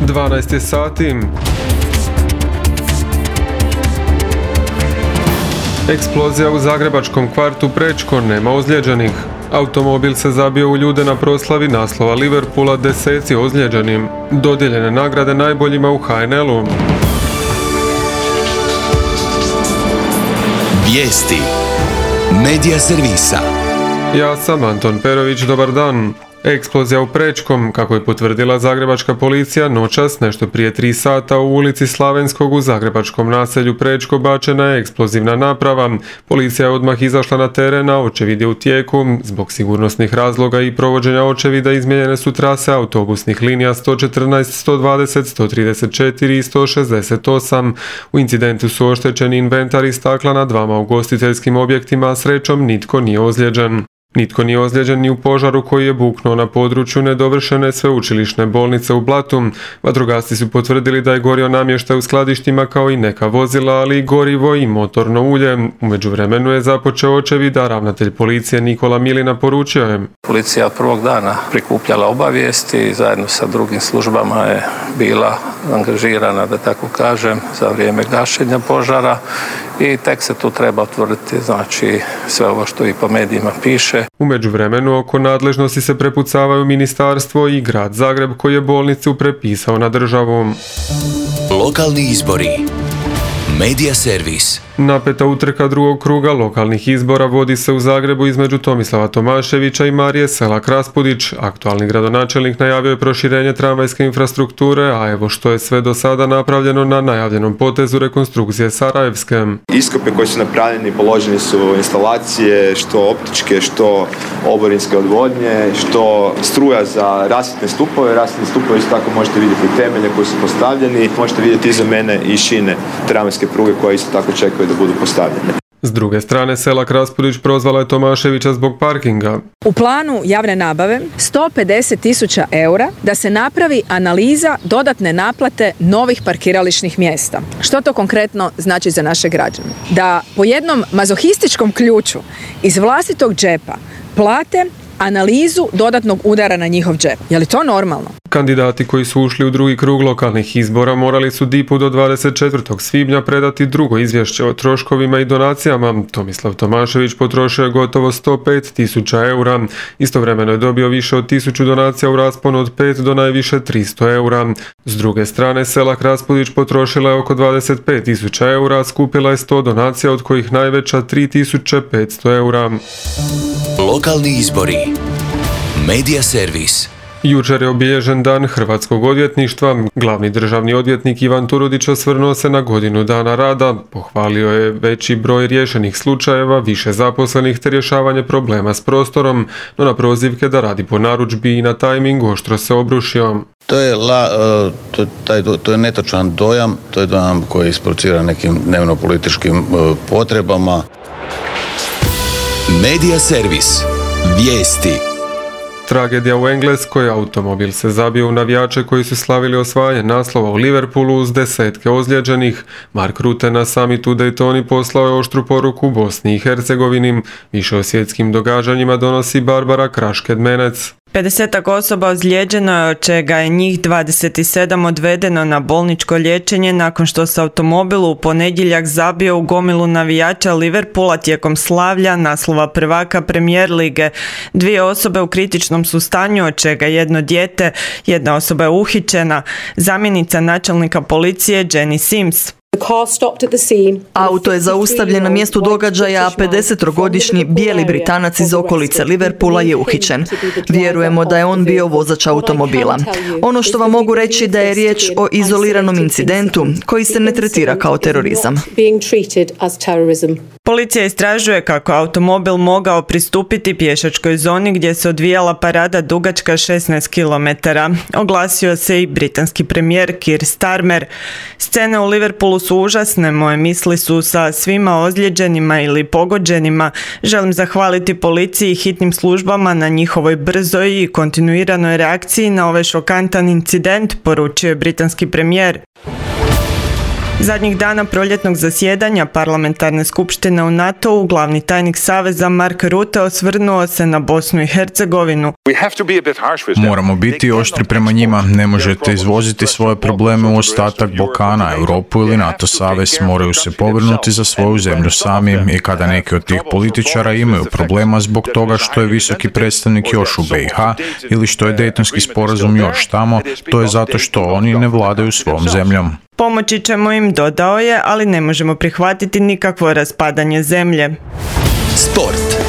12 sati. Eksplozija u zagrebačkom kvartu Prečko, nema ozlijeđenih. Automobil se zabio u ljude na proslavi naslova Liverpoola, 10 ozlijeđenim. Dodijeljene nagrade najboljima u HNL-u. Vijesti Medija servisa. Ja sam Anton Perović, dobar dan. Eksplozija u Prečkom, kako je potvrdila zagrebačka policija, noćas nešto prije 3 sata u ulici Slavenskog u zagrebačkom naselju Prečko bačena je eksplozivna naprava. Policija je odmah izašla na teren, a očevid je u tijeku. Zbog sigurnosnih razloga i provođenja očevida izmijenjene su trase autobusnih linija 114, 120, 134 i 168. U incidentu su oštećeni inventar i stakla na 2 ugostiteljskim objektima, a srećom nitko nije ozlijeđen. Nitko nije ozlijeđen ni u požaru koji je buknuo na području nedovršene sveučilišne bolnice u Blatu. Vatrogasci su potvrdili da je gorio namještaj u skladištima kao i neka vozila, ali i gorivo i motorno ulje. U međuvremenu je započeo očevid, a ravnatelj policije Nikola Milina poručio je: Policija od prvog dana prikupljala obavijesti i zajedno sa drugim službama je bila angažirana, da tako kažem, za vrijeme gašenja požara i tek se tu treba utvrditi, znači, sve ovo što i po medijima piše. U međuvremenu oko nadležnosti se prepucavaju ministarstvo i grad Zagreb koji je bolnicu prepisao na državu. Lokalni izbori. Medija servis. Napeta utrka drugog kruga lokalnih izbora vodi se u Zagrebu između Tomislava Tomaševića i Marije Selak-Raspudić. Aktualni gradonačelnik najavio je proširenje tramvajske infrastrukture, a evo što je sve do sada napravljeno na najavljenom potezu rekonstrukcije Sarajevske. Iskope koji su napravljeni, položeni su instalacije, što optičke, što oborinske odvodnje, što struja za rasvjetne stupove. Rasvjetne stupove isto tako možete vidjeti temelje koji su postavljeni. Možete vidjeti iza mene i šine tramvajske pruge koje isto tako čekaju da budu postavljene. S druge strane, Selak-Raspudić prozvala je Tomaševića zbog parkinga. U planu javne nabave 150.000 eura da se napravi analiza dodatne naplate novih parkirališnih mjesta. Što to konkretno znači za naše građane? Da po jednom mazohističkom ključu iz vlastitog džepa plate analizu dodatnog udara na njihov džep. Je li to normalno? Kandidati koji su ušli u drugi krug lokalnih izbora morali su DIP-u do 24. svibnja predati drugo izvješće o troškovima i donacijama. Tomislav Tomašević potrošio je gotovo 105.000 eura. Istovremeno je dobio više od 1000 donacija u rasponu od 5 do najviše 300 eura. S druge strane, Selak-Raspudić potrošila je oko 25.000 eura, a skupila je 100 donacija, od kojih najveća 3.500 eura. Lokalni izbori. Medija servis. Jučer je obilježen dan hrvatskog odvjetništva. Glavni državni odvjetnik Ivan Turudić osvrnuo se na godinu dana rada, pohvalio je veći broj riješenih slučajeva, više zaposlenih te rješavanje problema s prostorom, no na prozivke da radi po narudžbi i na tajmingu oštro se obrušio. To je netočan dojam, to je dojam koji isprovocira nekim dnevno-političkim potrebama. Medija servis. Vijesti. Tragedija u Engleskoj, automobil se zabio u navijače koji su slavili osvajanje naslova u Liverpoolu uz 10 ozlijeđenih. Mark Rutte na samitu u Daytoni poslao je oštru poruku Bosni i Hercegovini. Više o svjetskim događanjima donosi Barbara Kraš-Kedmenec. 50 osoba ozlijeđeno je, od čega je njih 27 odvedeno na bolničko liječenje nakon što se automobil u ponedjeljak zabio u gomilu navijača Liverpoola tijekom slavlja naslova prvaka Premier lige. 2 osobe u kritičnom su stanju, od čega jedno dijete, 1 osoba je uhićena. Zamjenica načelnika policije Jenny Sims. Auto je zaustavljen na mjestu događaja, a 50-godišnji bijeli Britanac iz okolice Liverpoola je uhićen. Vjerujemo da je on bio vozač automobila. Ono što vam mogu reći da je riječ o izoliranom incidentu koji se ne tretira kao terorizam. Policija istražuje kako automobil mogao pristupiti pješačkoj zoni gdje se odvijala parada dugačka 16 km. Oglasio se i britanski premijer Keir Starmer. Scene u Liverpoolu su užasne, moje misli su sa svima ozlijeđenima ili pogođenima. Želim zahvaliti policiji i hitnim službama na njihovoj brzoj i kontinuiranoj reakciji na ovaj šokantan incident, poručio je britanski premijer. Zadnjih dana proljetnog zasjedanja parlamentarne skupštine u NATO-u glavni tajnik Saveza Mark Rutte osvrnuo se na Bosnu i Hercegovinu. Moramo biti oštri prema njima. Ne možete izvoziti svoje probleme u ostatak Balkana, Europu ili NATO savez. Moraju se pobrinuti za svoju zemlju sami i kada neki od tih političara imaju problema zbog toga što je visoki predstavnik još u BiH ili što je Dejtonski sporazum još tamo, to je zato što oni ne vladaju svom zemljom. Pomoći ćemo im, dodao je, ali ne možemo prihvatiti nikakvo raspadanje zemlje. Sport.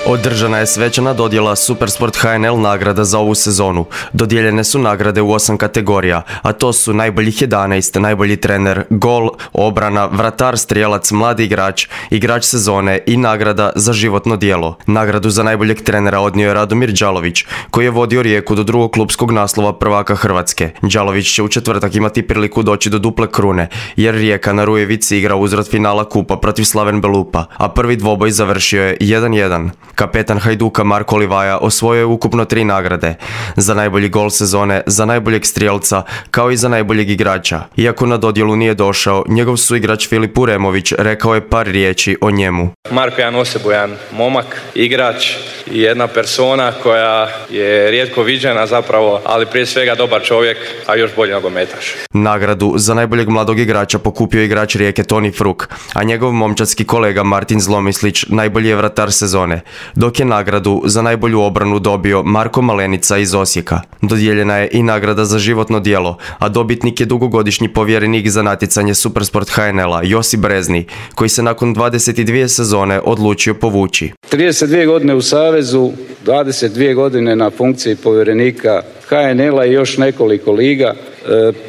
Održana je svečana dodjela Supersport HNL nagrada za ovu sezonu. Dodijeljene su nagrade u 8 kategorija, a to su najboljih 11, najbolji trener, gol, obrana, vratar, strijelac, mladi igrač, igrač sezone i nagrada za životno djelo. Nagradu za najboljeg trenera odnio je Radomir Đalović, koji je vodio Rijeku do drugog klupskog naslova prvaka Hrvatske. Đalović će u četvrtak imati priliku doći do duple krune, jer Rijeka na Rujevici igra uzvrat finala kupa protiv Slaven Belupa, a prvi dvoboj završio je 1-1. Kapetan Hajduka Marko Livaja osvojio je ukupno 3 nagrade. Za najbolji gol sezone, za najboljeg strijelca, kao i za najboljeg igrača. Iako na dodjelu nije došao, njegov suigrač Filip Uremović rekao je par riječi o njemu. Marko je jedan osebujan momak, igrač i jedna persona koja je rijetko viđena zapravo, ali prije svega dobar čovjek, a još bolji nogometaš. Nagradu za najboljeg mladog igrača pokupio igrač Rijeke Toni Fruk, a njegov momčadski kolega Martin Zlomislić najbolji je vratar sezone, dok je nagradu za najbolju obranu dobio Marko Malenica iz Osijeka. Dodijeljena je i nagrada za životno djelo, a dobitnik je dugogodišnji povjerenik za natjecanje Supersport HNL-a Josip Brezni, koji se nakon 22 sezone odlučio povući. 32 godine u Savezu, 22 godine na funkciji povjerenika HNL-a i još nekoliko liga.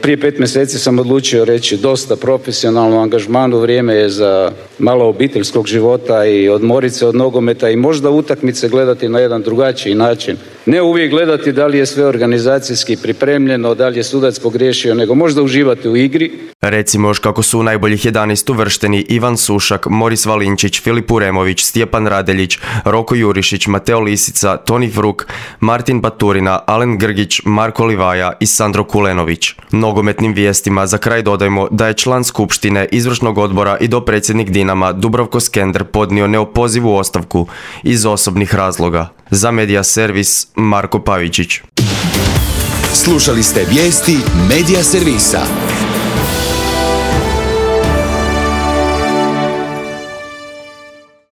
Prije 5 mjeseci sam odlučio reći dosta profesionalno angažmanu, vrijeme je za malo obiteljskog života i odmorit se od nogometa i možda utakmice gledati na jedan drugačiji način. Ne uvijek gledati da li je sve organizacijski pripremljeno, da li je sudac pogriješio, nego možda uživati u igri. Recimo još kako su u najboljih 11 uvršteni Ivan Sušak, Moris Valinčić, Filip Uremović, Stjepan Radeljić, Roko Jurišić, Mateo Lisica, Toni Fruk, Martin Baturina, Alen Grgić, Marko Livaja i Sandro Kulenović. Nogometnim vijestima za kraj dodajmo da je član skupštine, izvršnog odbora i dopredsjednik Dinama Dubravko Skender podnio neopozivu ostavku iz osobnih razloga. Za Media Servis Marko Pavičić. Slušali ste vijesti Media Servisa.